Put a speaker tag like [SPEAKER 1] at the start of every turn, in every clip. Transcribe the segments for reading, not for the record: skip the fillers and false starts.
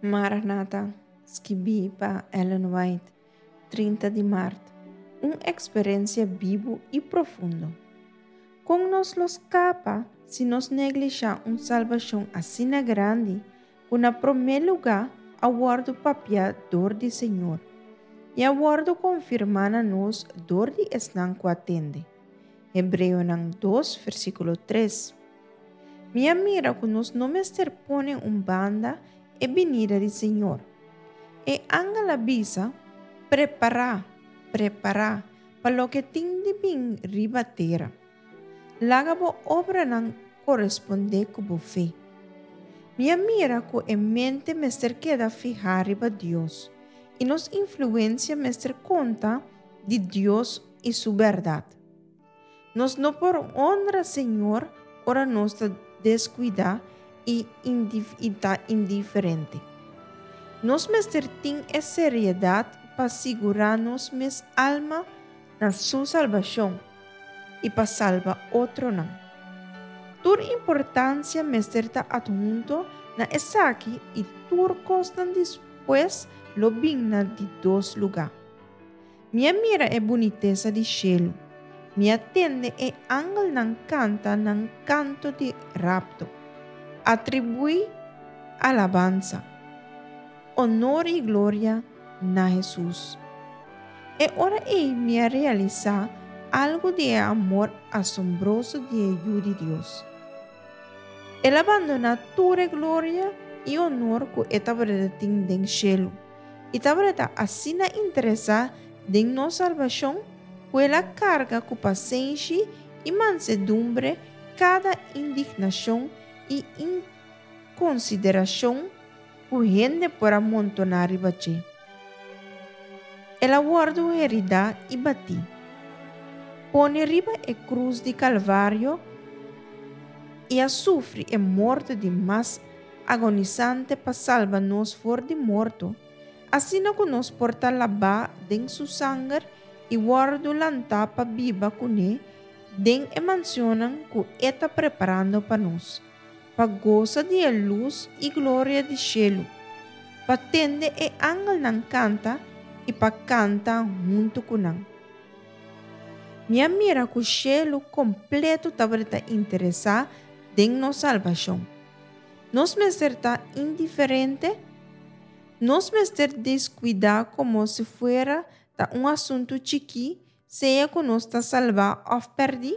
[SPEAKER 1] Maranata, skibí pa Ellen White, 30 di mart, un eksperensia bibu i profundo. Kon nos lo skapa si nos neglishá un salbashon asina grandi ku na promé lugá a wòrdu papiá dor di Señor i a wòrdu konfirmá na nos dor di esnan ku a tende? Hebreonan dos, versíkulo tres. Mi a mira ku nos no mester pone un banda e binida di Señor. E angel a bisa, Prepará, prepará pa loke tin di bin riba tera. Laga bo obranan korespondé ku bo fe. Mi a mira ku e mente mester keda fihá riba Dios, i nos influensia mester konta di Dios i su bèrdat. Nos no por honra Señor ora nos ta descuida y y ta indiferente. Nos mester tin e seriedad pa sigura nos mes alma na Su salbacion y pa salba otronan. Tur importancia mester ta adhunto na esaki y tur cosnan despues lo bin na di dos luga. Mi a mira e bunitesa di shelu, mi a tende e angelnan kanta nan kanto di rapto. Atribuí alabansa, onor i gloria na Hesus. E ora ei mi a realisá algu di e amor asombroso di e Yu di Dios. El a bandoná tur e gloria i onor ku e tabata tin den shelu. I tabata asina interesá den nos salbashon ku el a karga ku pasenshi i mansedumbre kada indignashon i inkonsiderashon ku hende por a montoná riba dje. El a wòrdu heridá i batí, pone riba e krus di Kalvario i a sufri e morto di mas agonisante pa salba nos for di morto, asina ku nos por ta labá den su sanger i wòrdu lantá pa biba kuné den e mansionnan ku e ta preparando pa nos, pa gosa di e lus i gloria di shelu, pa tende e angelnan kanta i pa kanta huntu ku nan. Mi a mira ku shelu kompleto tabata interesá den nos salbashon. Nos mester ta indiferente? Nos mester deskuidá komo si fuera ta un asuntu chikí sea ku nos ta salbá òf pèrdí?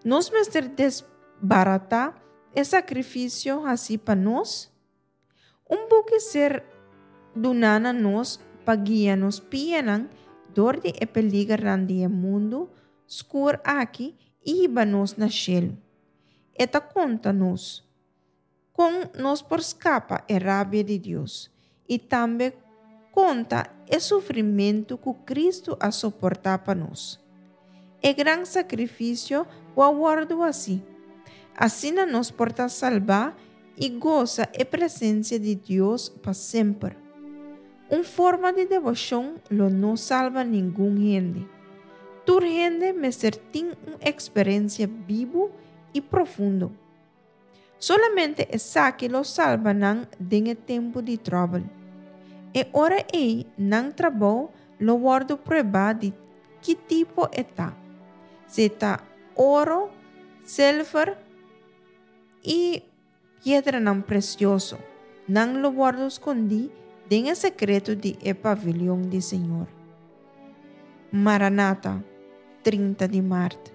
[SPEAKER 1] Nos mester desbaratá e sakrifisio hasí pa nos? Un buki ser duná na nos pa guia nos pianan dor di e peligernan di e mundu skur aki i hiba nos na shelu. E ta konta nos kon nos por skapa e rabia di Dios i tambe konta e sufrimentu ku Kristu a soportá pa nos. E gran sakrifisio ku a wòrdu hasí. Asina nos por ta salbá i gosa e presensia di Dios pa semper. Un forma di deboshon lo no salba ningun hende. Tur hende mester tin un eksperensia bibu i profundo. Solamente esaki lo salba nan den e tempu di tròbel. E ora ei nan trabou lo wòrdu pruebá di ki tipo e ta, si e ta oro, silver i Piedranan presioso, nan lo wòrdu skondí den e sekreto di e pavilion di Señor. Maranata, 30 di mart.